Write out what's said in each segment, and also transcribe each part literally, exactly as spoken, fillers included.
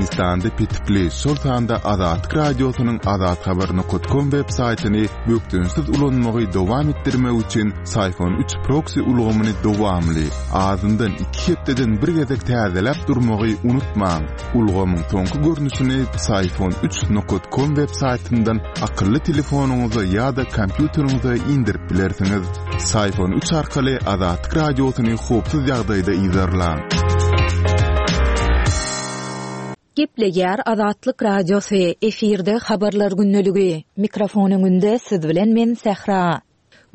Türkmenistanda petikli, şol sanda Azatlyk Radiosynyň azathabar nokat kom web saýtyny bökdençsiz ulanmagy dowam etdirmek üçin Syfon üç proksi ulgamyny dowamly, azyndan iki hepdeden bir gezek täzeläp durmagy unutmaň. Ulgamyň soňky görnüşini Syfon üç nokat kom web saýtyndan akylly telefonyňyza ýa-da kompýuteriňize indirip bilersiňiz. Syfon üç arkaly Azatlyk Radiosyny howpsuz ýagdaýda yzarlaň. Gepleýär Azatlyk Radiosy, efirde habarlar gündeligi. Mikrofon öňünde siz bilen men Sähra.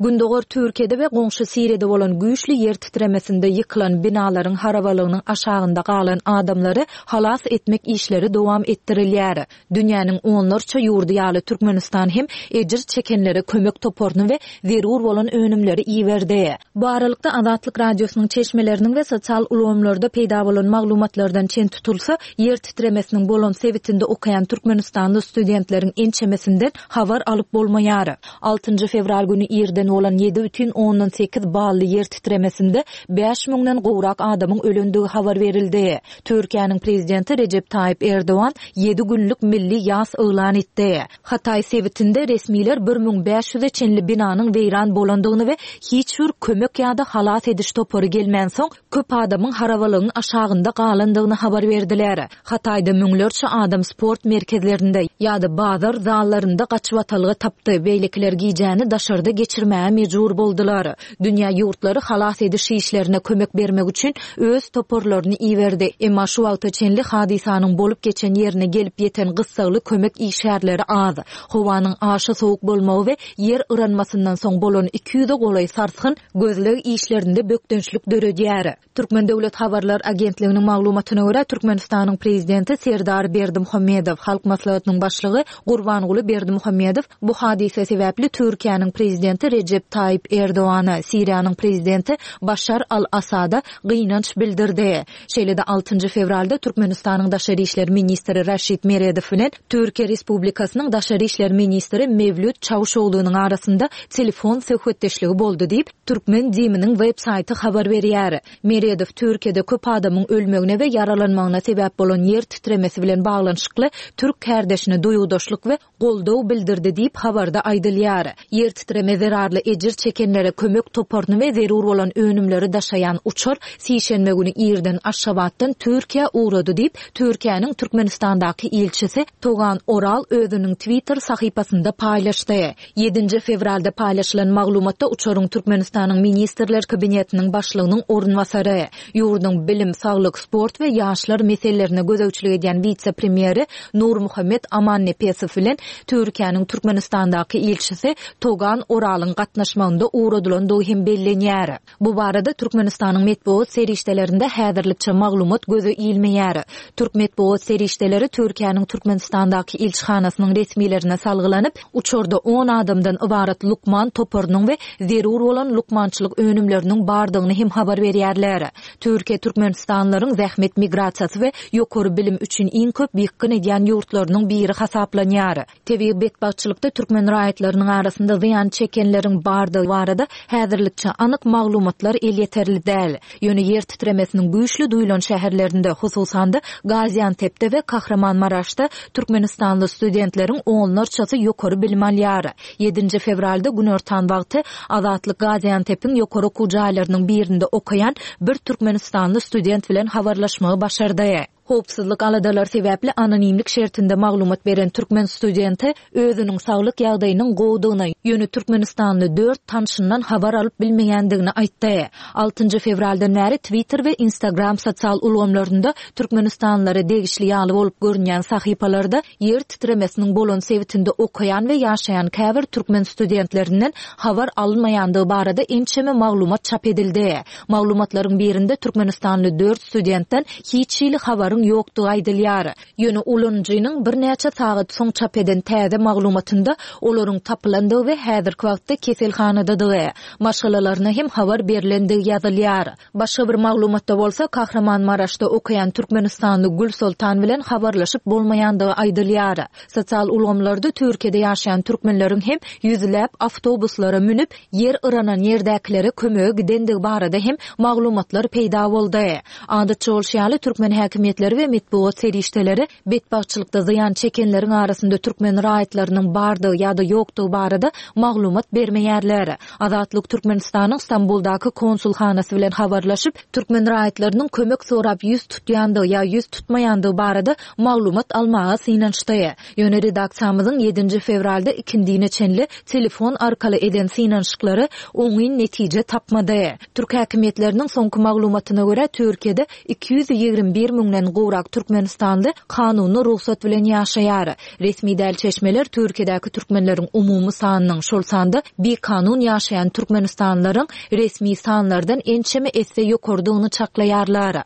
Gündogar Türkiýede we goňşy Siriýada bolan güýçli ýer titremesinde ýykylan binalaryň harabalygynyň aşagynda galan adamlary halas etmek işleri dowam etdirilýär. Dünýäniň onlarça ýurdy ýaly Türkmenistan hem ejir çekenlere kömek toparyny we zerur bolan önümleri iberdi. Bu aralykda Azatlyk Radiosynyň çeşmeleriniň we sosial ulgamlarda peýda bolan maglumatlardan çen tutulsa, ýer titremesiniň bolan sebitinde okaýan Türkmenistanly studentleriň ençemesinden habar alyp bolmaýar. Altynjy fewral güni irden bolan ýedi bütin ondan sekiz bally ýer titremesinde bäş müňden gowrak adamyň ölendigi habar berildi. Türkiýäniň prezidenti Rejep Taýyp Erdogan ýedi günlük milli ýas yglan etdi. Hatay sebitinde resmiler bir müň bäş ýüze çenli binanyň weýran bolandygyny we hiç bir kömek ýa-da halas ediş topary gelmänsoň köp adamyň harabalygyň aşagynda galandygyny habar berdiler. Hatayda müňlerçe adam sport merkezlerinde ýa-da bazar zallarynda gaçybatalga tapdy. Beýlekiler gijäni daşarda geçirmäge mejbur boldular. Dünýä ýurtlary halas ediş işlerine kömek bermek üçin öz toparlaryny iberdi. Emma şu wagta çenli hadysanyň bolup geçen ýerine gelip ýeten gyssagly kömek işgärleri az. Howanyň aşa sowuk bolmagy we ýer yranmasyndan soň bolan iki ýüze golaý sarsgyn gözleg işlerinde bökdençlik döredýär. Türkmen Döwlet Habarlar Agentliginiň maglumatyna görä, Türkmenistanyň prezidenti Serdar Berdimuhamedow, Halk Maslahatynyň başlygy Gurbanguly Berdimuhamedow bu hadysa sebäpli Türkiýäniň prezidenti Rejep Taýyp Erdogana, Siriýanyň prezidenti Başar al-Asada gynanç bildirdi. Şeýle-de altynjy fewralda Türkmenistanyň Daşary işler ministri Raşid Meredow bilen Türkiýe Respublikasynyň Daşary işler ministri Mewlüt Çawuşoglunyň arasynda telefon söhbetdeşligi boldy diýip, Türkmen DIM-niň web saýty habar berýär. Meredow Türkiýede köp adamyň ölmegine we ýaralanmagyna sebäp bolan ýer titremesi bilen baglanyşykly türk kärdeşine duýgudaşlyk we goldaw bildirdi diýip habarda aýdylýar. Ýer titreme zerarly ejir çekenlere kömek toparyny we zerur bolan önümleri daşaýan uçar sişenbe güni irden Aşgabatdan Türkiýä ugrady diýip, Türkiýäniň Türkmenistandaky ilçisi Togan Oral özüniň Twitter sahypasynda paýlaşdy. Ýedinji fewralda paýlaşylan maglumatda uçaryň Türkmenistanyň Ministrler Kabinetiniň başlygynyň orunbasary, ýurduň bilim, saglyk, sport we ýaşlar meselelerine gözegçilik edýän wise-premýeri Nurmuhammet Amannepesow bilen Türkiýäniň Türkmenistandaky ilçisi Togan Oralyň gatnaşmagynda ugradylandygy hem bellenýär. Bu barada Türkmenistanyň metbugat serişdelerinde häzirlikçe maglumat göze ilmeýär. Türk metbugat serişdeleri Türkiýäniň Türkmenistandaky ilçihanasynyň resmilerine salgylanyp, uçarda on adamdan ybarat lukman toparynyň we zerur bolan lukmançylyk önümleriniň bardygyny hem habar berýärler. Türkiýe türkmenistanlylaryň zähmet migrasiýasy we ýokary bilim üçin iň köp ýykgyn edýän ýurtlarynyň biri hasaplanýar. Tebigy betbagtçylykda türkmen raýatlarynyň arasynda zyýan çekenleriň bardygy barada häzirlikçe anyk maglumatlar elýeterli däl. Ýöne ýer titremesiniň güýçli duýulan şäherlerinde, hususan-da Gaziantepde we Kahramanmaraşda türkmenistanly studentleriň onlarçasy ýokary bilim alýar. Ýedinji fewralda günortan wagty Azatlyk Gaziantepiň ýokary okuw jaýlarynyň birinde okaýan bir türkmenistanly student bilen habarlaşmagy başardy. Howpsuzlyk aladalary sebäpli anonimlik şertinde maglumat beren türkmen studenti özüniň saglyk ýagdaýynyň gowudygyny, ýöne türkmenistanly dört tanşyndan habar alyp bilmeýändigini aýtdy. Altynjy fewraldan bäri Twitter we Instagram sosial ulgamlarynda türkmenistanlylara degişli ýaly bolup görünýän sahypalarda ýer titremesiniň bolan sebitinde okaýan we ýaşaýan käbir türkmen studentlerinden habar alynmaýandygy barada ençeme maglumat çap edildi. Maglumatlaryň birinde türkmenistanly dört studentden hiç hili habaryň ýokdugy aýdylýar. Ýöne ulanyjynyň birnäçe sagat soň çap eden täze maglumatynda olaryň tapylandygy we häzirki wagtda keselhanadadygy, maşgalalaryna hem habar berlendigi ýazylýar. Başga bir maglumatda bolsa Kahramanmaraşda okaýan türkmenistanly Gülsoltan bilen habarlaşyp bolmaýandygy aýdylýar. Sosial ulgamlarda Türkiýede ýaşaýan türkmenleriň hem ýüzläp awtobuslara münüp, ýer yranan ýerdäkilere kömege gidendigi barada hem maglumatlar peýda boldy. Adatça bolşy ýaly türkmen häkimiýetleri häkimiýetleri we metbugat serişdeleri betbagtçylykda zyýan çekenleriň arasynda türkmen raýatlarynyň bardygy ýa-da ýokdugy barada maglumat bermeýärler. Azatlyk Türkmenistanyň Stambuldaky konsulhanasy bilen habarlaşyp, türkmen raýatlarynyň kömek sorap ýüz tutýandygy ýa ýüz tutmaýandygy barada maglumat almaga synanyşdy. Ýöne redaksiýamyzyň ýedinji fewralda ikindine çenli telefon arkaly eden synanyşyklary oňyn netije tapmady. Türk häkimiýetleriniň soňky maglumatyna görä Türkiýede iki ýüz ýigrimi bir müňden gowrak Türkmenistanly kanuny rugsat bilen ýaşaýar. Resmi däl çeşmeler Türkiýedäki türkmenleriň umumy sanynyň, şol sanda bikanun ýaşaýan Türkmenistanlylaryň resmi sanlardan ençeme esse ýokardygyny çaklaýarlar.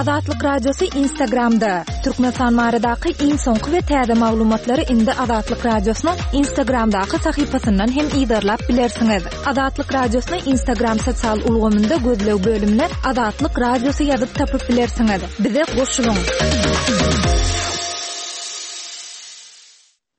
Azatlyk Radiosy Instagramda. Türkmenistan baradaky iň soňky we täze maglumatlary indi Azatlyk Radiosynyň Instagramdaky sahypasyndan hem yzarlap bilersiňiz. Azatlyk Radiosyny Instagram sosial ulgamynda gözleg bölümine Azatlyk Radiosy ýazyp tapyp bilersiňiz. Bize goşulyň.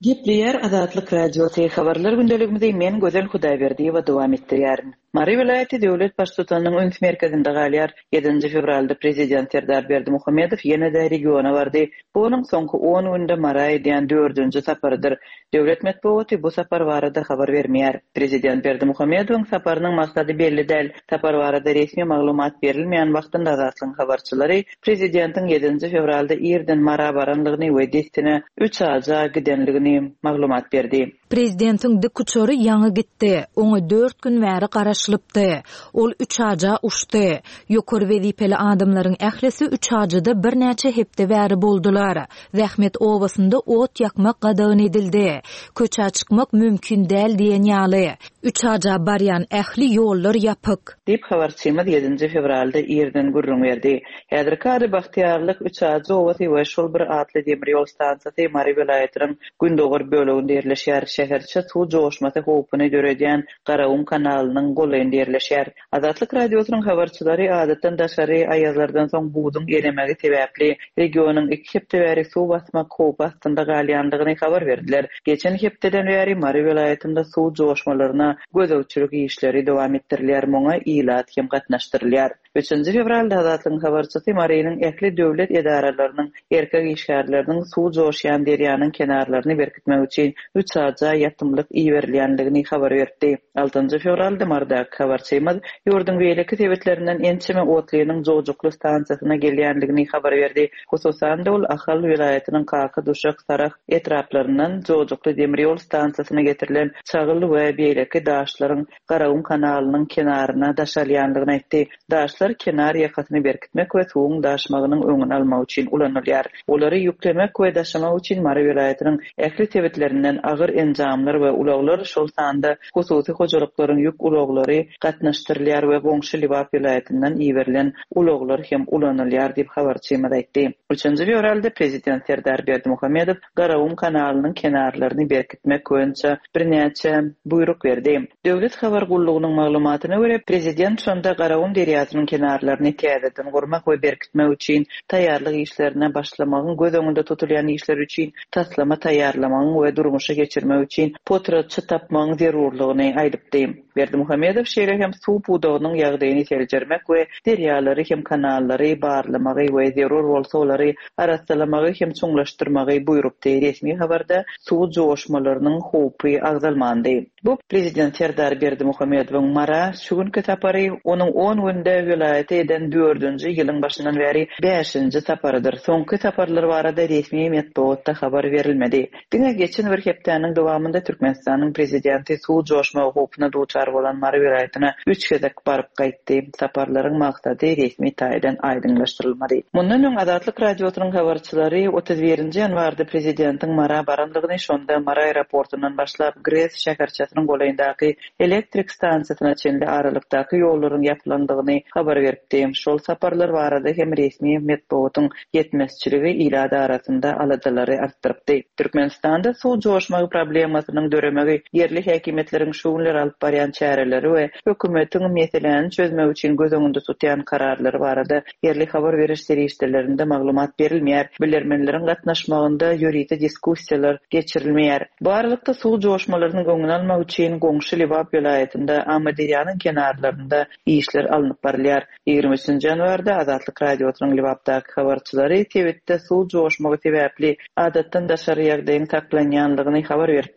Gepleýär Azatlyk Radiosy habarlar gündeligimizi men Gözel Hudaýberdiýewa dowam etdirýärin. Mary welaýaty döwlet baştutanynyň üns merkezinde galýar. Ýedinji fewralda prezident Serdar Berdimuhamedow ýene-de regiona bardy. Bu onuň soňky on günde Mara edýän dördünji saparydyr. Döwlet metbugaty bu sapar barada habar bermeýär. Prezident Berdimuhamedowyň saparynyň maksady belli däl. Sapar barada resmi maglumat berilmeýän wagtynda Azatlygyň habarçylary prezidentiň ýedinji fewralda irden Mara baranlygyny we dessine üç aja gidenligini maglumat berdi. Prezidentiň dik uçary ýaňy gitdi. Oňa dört gün bäri garaşylypdy. Ol üç aja uçdy. Ýokary wezipeli adamlaryň ählisi üç ajada birnäçe hepde bäri boldular. Zähmet obasynda ot ýakmak gadagan edildi. Köçä çykmak mümkin däl diýen ýaly. Üç aja barýan ähli ýollar ýapyk. Diýip habarçymyz ýedinji fewralda irden gürrüň berdi. Häzirki ady Bagtyýarlyk üç ajy obasy we şol bir atly demir ýol stansiýasy Mary welaýatynyň gündogar böleginde ýerleşýär. Şäherçe suw joşmasy howpuny döredýän Garagum kanalynyň golaýynda ýerleşýär. Azatlyk Radiosynyň habarçylary adatdan daşary aýazlardan soň buzuň eremegi sebäpli regionyň iki hepde bäri suw basmak howpy astynda galýandygyny habar berdiler. Geçen hepdeden bäri Mary welaýatynda suw joşmalaryna gözegçilik işleri dowam etdirilýär. Muňa ilat hem gatnaşdyrylýar. Üçünji fewralda Azatlygyň habarçysy Marynyň ähli döwlet edaralarynyň erkek işgärleriniň suw joşýan derýanyň kenarlaryny berkitmek üçin üç aja ýatymlyk iberilýändigini habar berdi. Altynjy fewralda Marydaky habarçymyz ýurduň beýleki sebetlerinden ençeme otlynyň Jojukly stansiýasyna gelýändigini habar berdi. Hususan-da ol Ahal welaýatynyň Kaka, Duşak, Sarah etraplaryndan Jojukly demir ýol stansiýasyna getirilen çagyl we beýleki daşlaryň Garagum kanalynyň kenaryna daşalýandygyny aýtdy. Daşlar kenar ýakasyny berkitmek we suwuň daşmagynyň öňüni almak üçin ulanylýar. Olary ýüklemek we daşamak üçin Mary welaýatynyň ähli sebetlerinden agyr enjamlar we ulaglar, şol sanda hususy hojalyklaryň ýük ulaglary gatnaşdyrylýar we goňşy Lebap welaýatyndan iberilen ulaglar hem ulanylýar diýip habarçymyz aýtdy. Üçünji fewralda prezident Serdar Berdimuhamedow Garagum kanalynyň kenarlaryny berkitmek boýunça birnäçe buýruk berdi. Döwlet habar gullugynyň maglumatyna görä prezident şonda Garagum derýasynyň kenarlaryny täzeden gurmak we berkitmek üçin taýýarlyk işlerine başlamagyň, göz öňünde tutulýan işler üçin taslama taýýarlamagyň we durmuşa geçirmek üçin potratçy tapmagyň zerurlygyny aýdypdy. Berdimuhamedow şeýle hem suw pudagynyň ýagdaýyny seljermek we derýalary hem kanallary barlamagy we zerur bolsa olary arassalamagy hem çuňlaşdyrmagy buýrupdy. Resmi habarda suw joşmalarynyň howpy agzalmandy. Bu prezident Serdar Berdimuhamedowyň Mara şu günki sapary onuň on günde welaýata eden dördünji ýylyň başyndan bäri bäşinji saparydyr. Soňky saparlar barada resmi metbugatda habar berilmedi. Diňe geçen bir hepdäniň dowamynda Türkmenistanyň prezidenti suw joşma howpuna duçar bolan Mary welaýatyna üç gezek baryp gaýtdy. Saparlaryň maksady resmi taýdan aýdyňlaşdyrylmady. Mundan öň Azatlyk Radiosynyň habarçylary otuz birinji ýanwarda prezidentiň Mara barandygyny, şonda Mary aeroportundan başlap Gres şäherçesiniň golaýyndaky elektrik stansiýasyna çenli aralykdaky ýollaryň ýapylandygyny habar beripdi. Şol saparlar barada hem resmi metbugatyň ýetmezçiligi ilat arasynda aladalary artdyrypdy. Türkmenistanda suw joşmagy problemi Problemasynyň döremegi, ýerli häkimiýetleriň şu günler alyp barýan çäreleri we hökümetiň meseläni çözmek üçin göz öňünde tutýan kararlary barada ýerli habar beriş serişdelerinde maglumat berilmeýär. Bilermenleriň gatnaşmagynda ýörite diskussiýalar geçirilmeýär. Bu aralykda suw joşmalarynyň öňüni almak üçin goňşy Lebap welaýatynda Amyderýanyň kenarlarynda işler alnyp barylýar. Ýigrimi üçünji ýanwarda Azatlyk Radiosynyň Lebapdaky habarçylary sebitde suw joşmagy sebäpli adatdan daşary ýagdaýyň saklanýanlygyny habar berdi.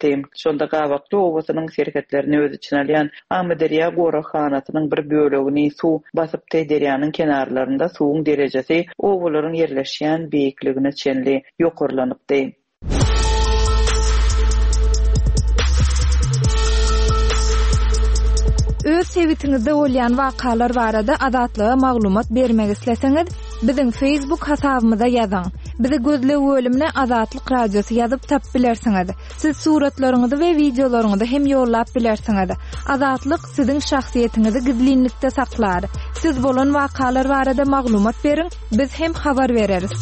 Şonda Gabakly obasynyň serhetlerini öz içine alýan Amyderýa goraghanasynyň bir bölegini suw basypdy. Derýanyň kenarlarynda suwuň derejesi obalaryň ýerleşýän beýikligine çenli ýokarlanypdy. Öz sebitiňizde bolýan wakalar barada Azatlyga maglumat bermek isleseňiz, biziň Facebook hasabymyza ýazyň. Bizi gözleg bölümine Azatlyk Radiosy ýazyp tap bilersiňiz. Siz suratlaryňyzy we wideolaryňyzy hem ýollap bilersiňiz. Azatlyk siziň şahsyýetiňizi gizlinlikde saklar. Siz bolan wakalar barada maglumat beriň, biz hem habar bereris.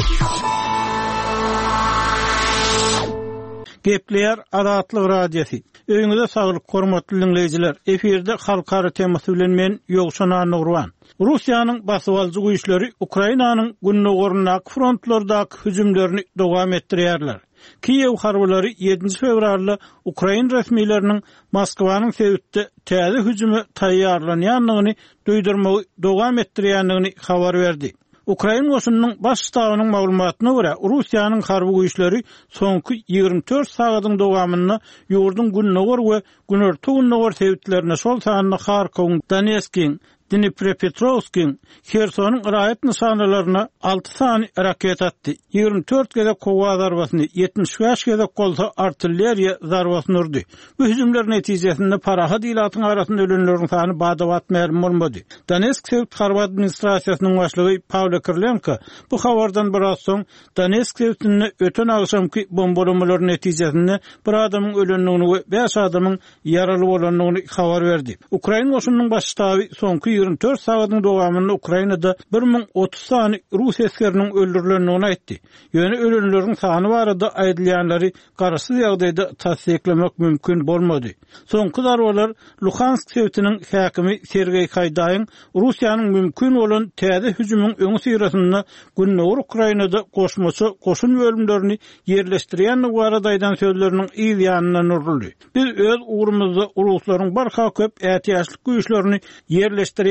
Gepleýär Azatlyk Radiosy. Öýüňize saglyk, hormatly dinleýjiler. Efirde halkara temasy bilen men Ýowşan Annagurban. Russiýanyň basybalyjy güýçleri Ukrainanyň gündogaryndaky frontlardaky hüjümlerini dowam etdirýärler. Kiýew harbylary ýedinji fewralda Ukrain resmileriniň Moskwanyň sebitde täze hüjüme taýýarlanýandygyny duýdurmagy dowam etdirýändigini habar berdi. Ukrain goşunynyň baş ştabynyň maglumatyna görä, Russiýanyň harby güýçleri soňky ýigrimi dört sagadyň dowamynda ýurduň gündogar we günorta-gündogar sebitlerine, şol sanda Harkowyň, Donetskiň, Dniprepetrowskiň, Hersonyň raýat nyşanalaryna alty sany raket atdy. Ýigrimi dört gezek howa zarbasyny, ýetmiş bäş gezek bolsa artilleriýa zarbasyny urdy. Bu hüjümler netijesinde parahat ilatyň arasynda ölenleriň sany bada-bat mälim bolmady. Donetsk sebit harby administrasiýasynyň başlygy Pawlo Kirilenko bu habardan biraz soň Donetsk sebitinde öten agşamky bombalamalar netijesinde bir adamyň ölendigini we bäş adamyň ýaraly bolandygyny habar berdi. Ukrain goşunynyň baş ştaby soňky ýigrimi dört sagadyň dowamynda Ukrainada bir müň otuz sany rus esgeriniň öldürilendigini aýtdy. Ýöne ölenleriň sany barada aýdylýanlary garaşsyz ýagdaýda tassyklamak mümkin bolmady. Soňky zarbalar Luhansk sebitiniň häkimi Sergeý Haýdaýyň Russiýanyň mümkin bolan täze hüjümiň öňi syrasynda Gündogar Ukrainada goşmaça goşun bölümlerini ýerleşdirýändigi barada aýdan sözleriniň yz ýanyndan uruldy. Biz öz ugrumyzda ruslaryň barha köp ätiýaçlyk güýçlerini ýerleşdirýändigini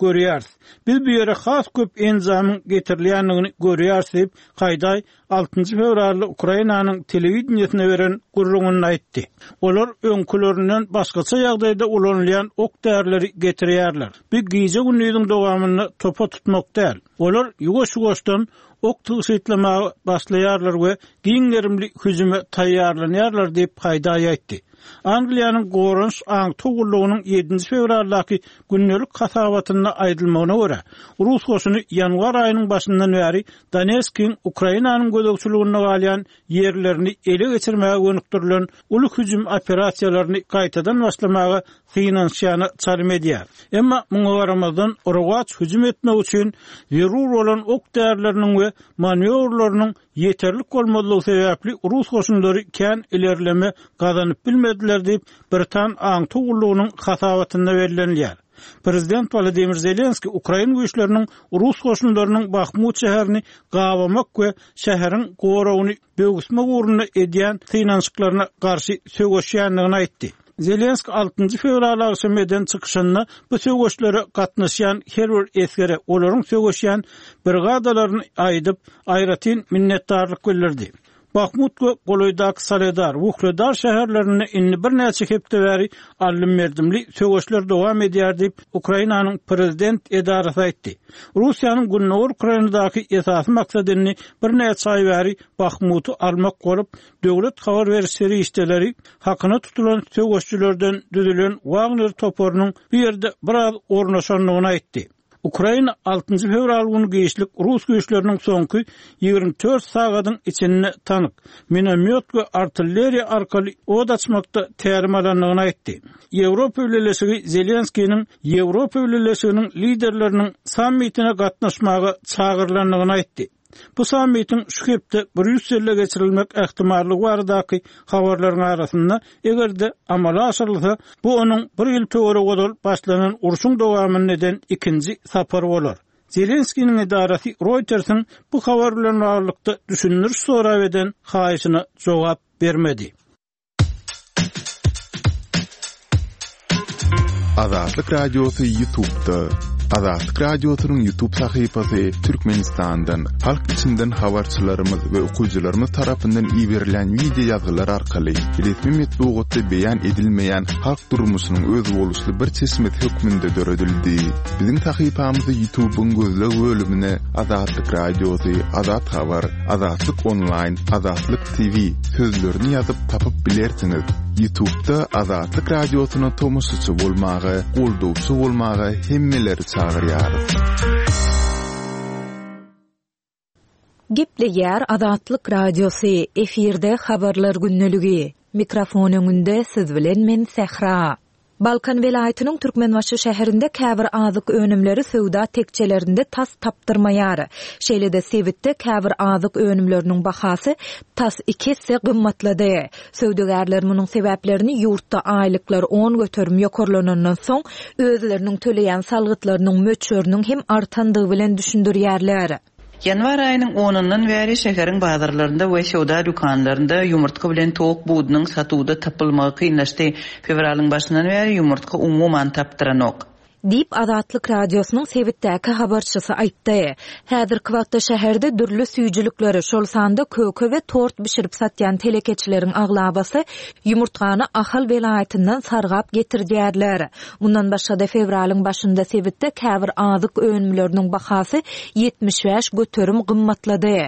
görýäris. Biz bu ýere has köp enjamyň getirilýändigini görýäris diýip, Haýdaý altynjy fewralda Ukrainanyň telewideniýesine beren gürrüňinde aýtdy. Olar öňkülerinden başgaça ýagdaýda ulanylýan ok därileri getirýärler. Bu gije gündiziň dowamynda topa tutmak däl. Olar ýuwaş-ýuwaşdan ok tygşytlamaga başlaýarlar we giň gerimli hüjüme taýýarlanýarlar diýip Haýdaý aýtdy. Angliýanyň Goranyş aňtaw gullugynyň ýedinji fewraldaky gündelik hasabatynda aýdylmagyna görä, rus goşuny ýanwar aýynyň başyndan bäri Donetskiň Ukrainanyň gözegçiliginde galýan ýerlerini ele geçirmäge gönükdirilen uly hüjüm operasiýalaryny gaýtadan başlamaga synanyşýana çalym edýär. Emma muňa garamazdan rowaç hüjüm etmek üçin zerur bolan ok därileriniň we manewrlarynyň ýeterlik bolmazlygy sebäpli rus goşunlary kän ilerleme gazanyp bilmediler diýip, Britan aňtaw gullugynyň hasabatynda bellenilýär. Prezident Wladimir Zelenski Ukrain güýçleriniň rus goşunlarynyň Bahmut şäherini gabamak we şäheriň goragyny böwüsmek ugrunda edýän synanyşyklaryna garşy söweşýändigini aýtdy. Zelenski altynjy fewral agşamy eden çykyşynda bu söweşlere gatnaşýan her bir esgere olaryň söweşýän brigadalaryny aýdyp, aýratyn minnetdarlyk bildirdi. Bahmut we golaýdaky Soledar, Wuhledar şäherlerinde indi birnäçe hepde bäri aldym-berdimli söweşler dowam edýär diýip, Ukrainanyň prezident edarasy aýtdy. Russiýanyň Gündogar Ukrainadaky esasy maksady indi birnäçe aý bäri Bahmuty almak bolup, döwlet habar beriş serişdeleri hakyna tutulan söweşçilerden düzülen Wagner toparynyň bu ýerde biraz ornaşandygyny aýtdy. Ukraina altynjy fewral güni giçlik rus güýçleriniň soňky ýigrimi dört sagadyň içinde tank, minomýot we artilleriýa arkaly od açmakda tälim alandygyny aýtdy. Ýewropa Bileleşigi Zelenskiniň Ýewropa Bileleşiginiň liderleriniň sammitine gatnaşmaga çagyrylandygyny aýtdy. Bu sammitiň şu hepde Brýusselde geçirilmek ähtimallygy baradaky habarlaryň arasynda eger-de amala aşyrylsa, bu onuň bir ýyl töweregi ozal başlanan urşuň dowamyny eden ikinji sapar bolar. Zelenskiniň edarasy Reuters'in bu habar bilen baglylykda düşündiriş sorap eden haýyşyna jogap bermedi. Azatlyk Radiosy YouTube'da. Azatlyk Radiosynyň YouTube sahypasy Türkmenistandan, halk içinden habarçylarymyz we okyjylarymyz tarapyndan iberilen video ýazgylar arkaly resmi metbugatda beýan edilmeýän halk durmuşynyň özboluşly bir çeşmesi hökmünde döredildi. Biziň sahypamyzy YouTube'yň gözleg bölümine Azatlyk Radiosy, Azat Habar, Azatlyk Online, Azatlyk T V sözlerini ýazyp tapyp bilersiňiz. YouTube'da Azatlyk Radiosyna tomaşaçy bolmaga, goldawçy bolmaga hemmeleri çagyrýarys. Gepleýär Azatlyk Radiosy, efirde habarlar gündeligi. Mikrofon öňünde siz bilen men Sähra. Balkan welaýatynyň Türkmenbaşy şäherinde käbir azyk önümleri söwda tekçelerinde tas tapdyrmaýar. Şeýle-de sebitde käbir azyk önümleriniň bahasy tas iki esse gymmatlady. Söwdagärler munuň sebäplerini ýurtda aýlyklar on göterim ýokarlanandan soň özleriniň töleýän salgytlarynyň möçberiniň hem artandygy bilen düşündirýärler. Ýanwar aýynyň onundan bäri şäheriň bazarlarynda we söwda dükanlarynda ýumurtga bilen towuk budunyň satuwda tapylmagy kynlaşdy. Fewralyň başyndan bäri ýumurtga umuman tapdyranok. Diýip Azatlyk Radiosynyň sebitdäki habarçysy aýtdy. Häzirki wagtda şäherde dürli süýjülikleri, şol sanda köke we tort bişirip satýan telekeçileriň aglabasy ýumurtgany Ahal welaýatyndan sargap getirýärler. Mundan başga-da fewralyň başynda sebitde käbir azyk önümleriniň bahasy ýetmiş bäş göterim gymmatlady.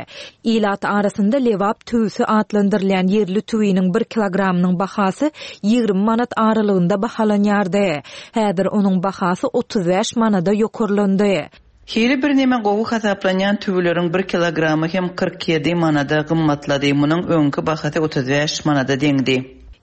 Ilat arasynda Lebap tüwüsi atlandyrylýan ýerli tüwiniň bir kilogramynyň bahasy ýigrimi manat aralygynda bahalanýardy. Häzir onuň bahasy otuz bäş manada ýokarlandy. Hili bir neme gowy hasaplanýan tüwüleriň bir kilogramy hem kyrk ýedi manada gymmatlady. Munuň öňki bahasy otuz bäş manada deňdi.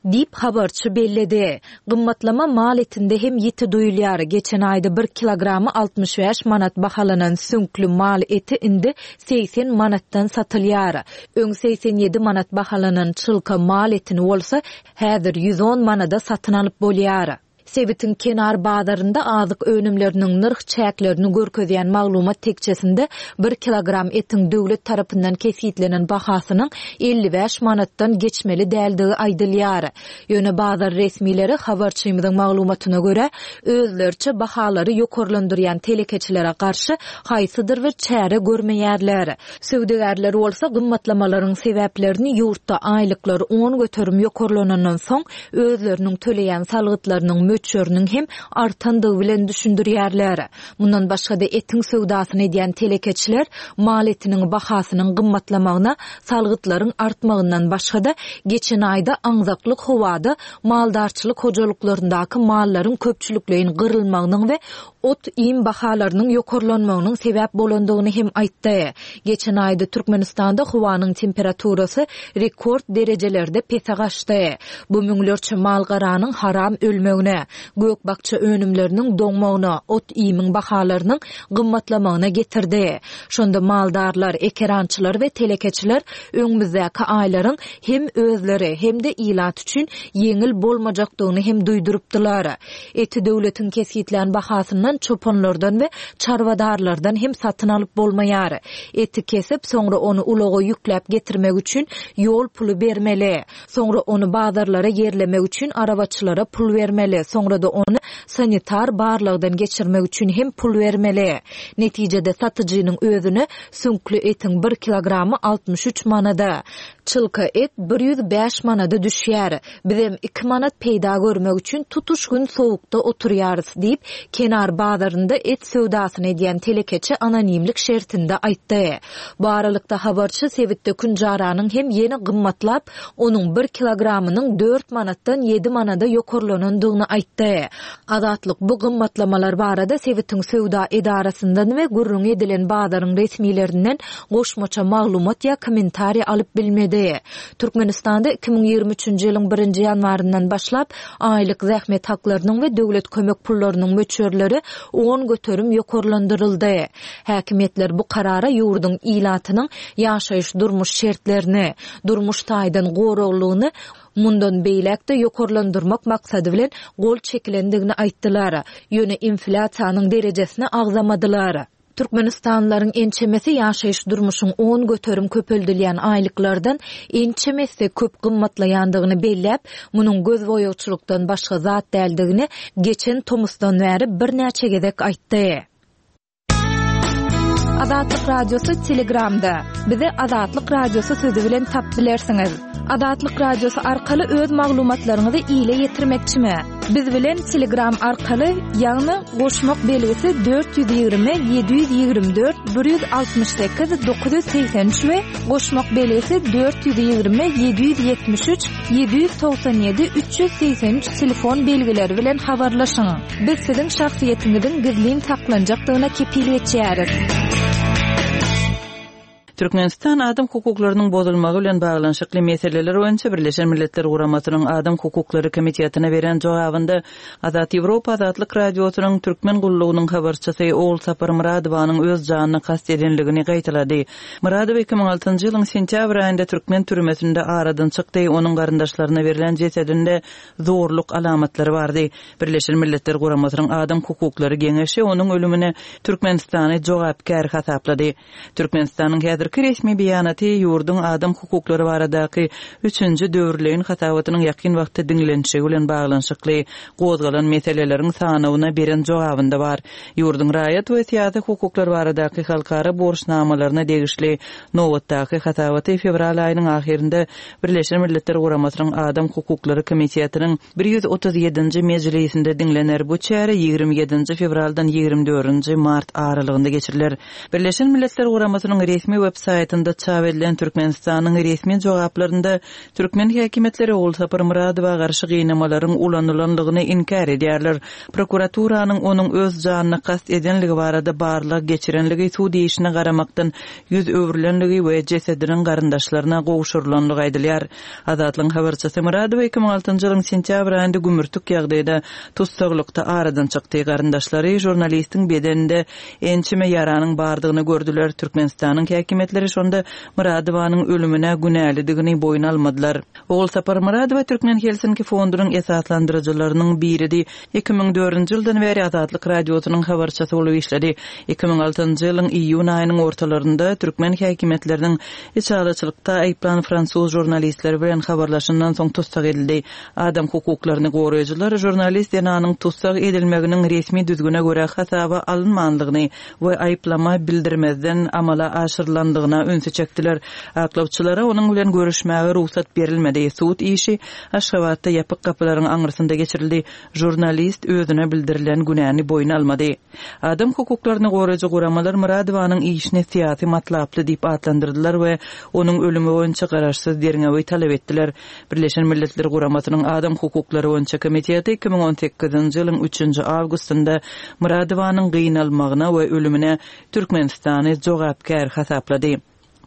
Diýip habarçy belledi. Gymmatlama mal etinde hem ýiti duýulýar. Geçen aýda bir kilogramy altmyş bäş manat bahalanan süňkli mal eti indi segsen manatdan satylýar. Öň segsen ýedi manat bahalanan çylka mal etini bolsa häzir ýüz on manada satyn alyp bolýar. Sebitiň kenar bazarynda azyk önümleriniň nyrh çäklerini görkezýän maglumat tekçesinde bir kilogram etiň döwlet tarapyndan kesitlenen bahasynyň elli bäş manatdan geçmeli däldigi aýdylýar. Ýöne bazar resmileri habarçymyzyň maglumatyna görä özlerçe bahalary ýokarlandyrýan telekeçilere garşy haýsydyr bir çäre görmeýärler. Söwdagärler bolsa gymmatlamalaryň sebäplerini ýurtda aýlyklar on göterim ýokarlanandan soň özleriniň töleýän salgytlarynyň möçberiniň hem artandygy bilen düşündirýärler. Mundan başga-da etiň söwdasyny edýän telekeçiler mal etiniň bahasynyň gymmatlamagyna salgytlaryň artmagyndan başga-da geçen aýda aňzaklyk howada maldarçylyk hojalyklaryndaky mallaryň köpçülikleýin gyrylmagynyň we ot iým bahalarynyň ýokarlanmagynyň sebäp bolandygyny hem aýtdy. Geçen aýda Türkmenistanda howanyň temperaturasy rekord derejelerde pese gaçdy. Bu müňlerçe malgaranyň haram ölmegine, gök-bakja önümleriniň doňmagyna, ot iýimiň bahalarynyň gymmatlamagyna getirdi. Şonda maldarlar, ekerançylar we telekeçiler öňümizdäki aýlaryň hem özleri hem-de ilat üçin ýeňil bolmajakdygyny hem duýdurypdylar. Eti döwletiň kesitlän bahasyndan çopanlardan we çarwadarlardan hem satyn alyp bolmaýar. Eti kesip, soňra ony ulaga ýükläp getirmek üçin ýol puly bermeli. Soňra ony bazarlara ýerlemek üçin arabaçylara pul bermeli. Soňra da ony sanitar barlagdan geçirmek üçin hem pul bermeli. Netijede satyjynyň özüne süňkli etiň bir kilogramy altmyş üç manada, çylka et bir ýüz bäş manada düşýär. Bizem iki manat peýda görmek üçin tutuş gün sowukda oturýarys diýip, kenar bazarynda et söwdasyny edýän telekeçi anonimlik şertinde aýtdy. Bu aralykda habarçy sebitde künjaranyň hem ýene gymmatlap, onuň bir kilogramynyň dört manatdan ýedi manada ýokarlanandygyny aýtdy. Azatlyk bu gymmatlamalar barada sebitiň söwda edarasyndan we gürrüň edilen bazaryň resmilerinden goşmaça maglumat ýa kommentariýa alyp bilmedi. edildi. Türkmenistanda iki müň ýigrimi üçünji ýylyň birinji ýanwaryndan başlap aýlyk zähmet haklarynyň we döwlet kömek pullarynyň möçberleri on göterim ýokarlandyryldy. Häkimiýetler bu karara ýurduň ilatynyň ýaşaýyş durmuş şertlerini, durmuş taýdan goraglygyny mundan beýläk-de ýokarlandyrmak maksady bilen gol çekilendigini aýtdylar. Ýöne inflýasiýanyň derejesini agzamadylar. Türkmenistanlylaryň ençemesi ýaşaýyş durmuşyň on göterim köpeldilýän aýlyklardan ençemesi köp gymmatlaýandygyny belläp, munuň göz boýagçylykdan başga zat däldigini geçen tomusdan bäri birnäçe gezek aýtdy. Azatlyk Radiosy Telegramda. Bizi Azatlyk Radiosy sözi bilen tap bilersiňiz. Azatlyk Radiosy arkaly öz maglumatlaryňyzy ile ýetirmekçimi? Biz bilen Telegram arkaly, ýagny goşmak belgisi dört ýüz ýigrimi ýedi ýüz ýigrimi dört bir ýüz altmyş sekiz dokuz ýüz segsen üç we goşmak belgisi dört ýüz ýigrimi ýedi ýüz ýetmiş üç ýedi ýüz togsan ýedi üç ýüz segsen üç telefon belgileri bilen habarlaşyň. Biz siziň şahsyýetiňiziň gizlin saklanjakdygyna kepil geçýäris. Türkmenistan adam hukuklarynyň bozulmagy bilen baglanyşykly meseleler boýunça Birleşen Milletler Guramasynyň Adam Hukuklary Komitetine beren jogabynda Azat Ýewropa Azatlyk Radiosynyň Türkmen gullugynyň habarçysy Ogulsapar Myradowanyň öz janyna kast edenligini gaýtalady. Myradowa iki müň altynjy ýylyň sentýabr aýynda türkmen türmesinde aradan çykdy, onuň garyndaşlaryna berlen jesedinde zorluk alamatlary bardy. Birleşen Milletler Guramasynyň Adam Hukuklary Geňeşi onuň ölümine Türkmenistany jogapkär hasaplady. Türkmenistanyň häzirki resmi beýanaty ýurduň adam hukuklary baradaky üçünji döwürleýin hasabatynyň ýakyn wagtda diňlenişigi bilen baglanyşykly gozgalan meseleleriň sanawyna beren jogabynda bar. Ýurduň raýat we syýasy hukuklar baradaky halkara borçnamalaryna degişli nobatdaky hasabaty fewral aýynyň ahyrynda Birleşen Milletler Guramasynyň Adam Hukuklary Komitetiniň bir ýüz otuz ýedinji mejlisinde diňlener. Bu çäre ýigrimi ýedinji fewraldan ýigrimi dördünji mart aralygynda geçiriler. Birleşen Milletler Guramasynyň resmi web saýtynda çap edilen Türkmenistanyň resmi jogaplarynda türkmen häkimiýetleri Ogulsapar Myradowa garşy gynamalaryň ulanylanlygyny inkär edýärler. Prokuraturanyň onuň öz janyna kast edenligi barada barlag geçirenligi, sud işine garamakdan ýüz öwrülenligi we jesediniň garyndaşlaryna gowşurylanlygy aýdylýar. Azatlygyň habarçysy Myradowa iki müň altynjy ýylyň sentýabr aýynda gümürtik ýagdaýda tussaglykda aradan çykdy. Garyndaşlary žurnalistiň bedeninde ençeme ýaranyň bardygyny gördüler. Türkmenistanyň häkimiýetleri şonda Myradowanyň ölümine günälidigini boýun almadylar. Ogulsapar Myradowa Türkmen Helsinki fondunyň esaslandyryjylarynyň biridi. Iki müň dördünji ýyldan bäri Azatlyk Radiosynyň habarçysy bolup işledi. Iki müň altynjy ýylyň iýun aýynyň ortalarynda türkmen häkimiýetleriniň içalyçylykda aýyplan fransuz žurnalistleri bilen habarlaşandan soň tussag edildi. Adam hukuklaryny goraýjylar žurnalist zenanyň tussag edilmeginiň resmi düzgüne görä hasaba alynmanlygyny we aýyplama bildirmezden amala aşyrylanlygyna ünsi çekdiler. Aklawçylara onuň bilen görüşmäge rugsat berilmedi. Sud işi Aşgabatda ýapyk gapylaryň aňyrsynda geçirildi. Žurnalist özüne bildirilen günäni boýun almady. Adam hukuklaryny goraýjy guramalar Myradowanyň işini syýasy matlaply diýip atlandyrdylar we onuň ölümi boýunça garaşsyz derňewi talap etdiler. Birleşen Milletler Guramasynyň Adam Hukuklary boýunça komiteti iki müň on sekizinji ýylyň üçünji awgustynda Myradowanyň gynalmagyna we ölümine Türkmenistany jogapkär hasaplady.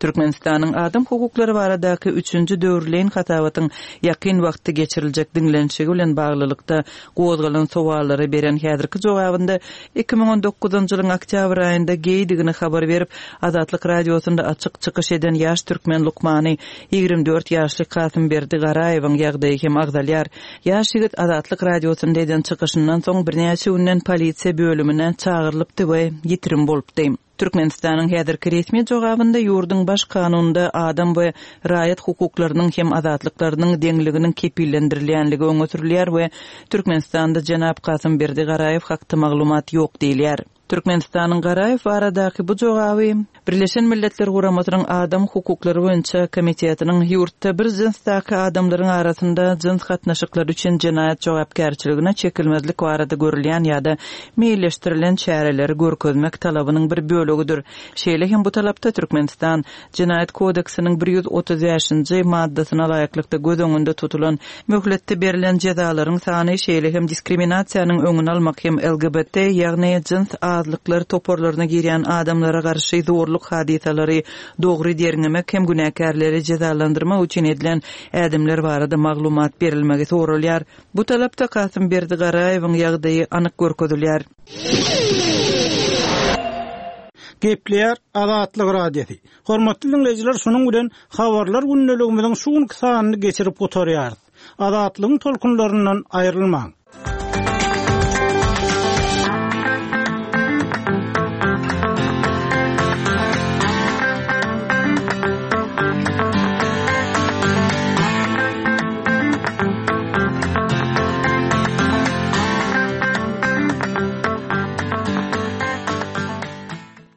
Türkmenistanyň adam hukuklary baradaky üçünji döwürleýin hasabatyň ýakyn wagtda geçiriljek diňlenişigi bilen baglylykda gozgalan sowallara beren häzirki jogabynda iki müň on dokuzynjy ýylyň oktýabr aýynda geýdigini habar berip, Azatlyk Radiosynda açyk çykyş eden ýaş türkmen lukmany ýigrimi dört ýaşly Kasymberdi Garaýewiň ýagdaýy hem agzalýar. Ýaş ýigit Azatlyk Radiosynda eden çykyşyndan soň birnäçe günden polisiýa bölümine çagyrylypdy we ýitirim bolupdy. Türkmenistanyň häzirki resmi jogabynda ýurduň baş kanunynda adam we raýat hukuklarynyň hem azatlyklarynyň deňliginiň kepillendirilýänligi öňe sürülýär we Türkmenistanda jenap Kasymberdi Garaýew hakda maglumat ýok diýilýär. Türkmenistanyň Garaýew baradaky bu jogaby Birleşen Milletler Guramasynyň Adam Hukuklary boýunça komitetiniň ýurtda bir jynsdaky adamlaryň arasynda jyns gatnaşyklary üçin jenaýat jogapkärçiligine çekilmezlik barada görülýän ýa-da meýilleşdirilen çäreleri görkezmek talabynyň bir bölegidir. Şeýle hem bu talapda Türkmenistan Jenaýat kodeksiniň bir ýüz otuz bäşinji maddasyna laýyklykda göz öňünde tutulan möhletde berlen jezalaryň sany, şeýle hem diskriminasiýanyň öňüni almak hem L G B T, ýagny jyns azlyklar toparlaryna girýän adamlara garşy zorluk kanunçylyk hadysalary dogry derňemek hem günäkärleri jezalandyrmak üçin edilen ädimler barada maglumat berilmegi soralýar. Bu talapda Kasymberdi Garaýewiň ýagdaýy anyk görkezilýär. Gepleýär Azatlyk Radiosy. Hormatly dinleýjiler, şunuň bilen habarlar gündeligimiziň şu günki sanyny geçirip gutarýarys. Azatlygyň tolkunlaryndan aýrylmaň.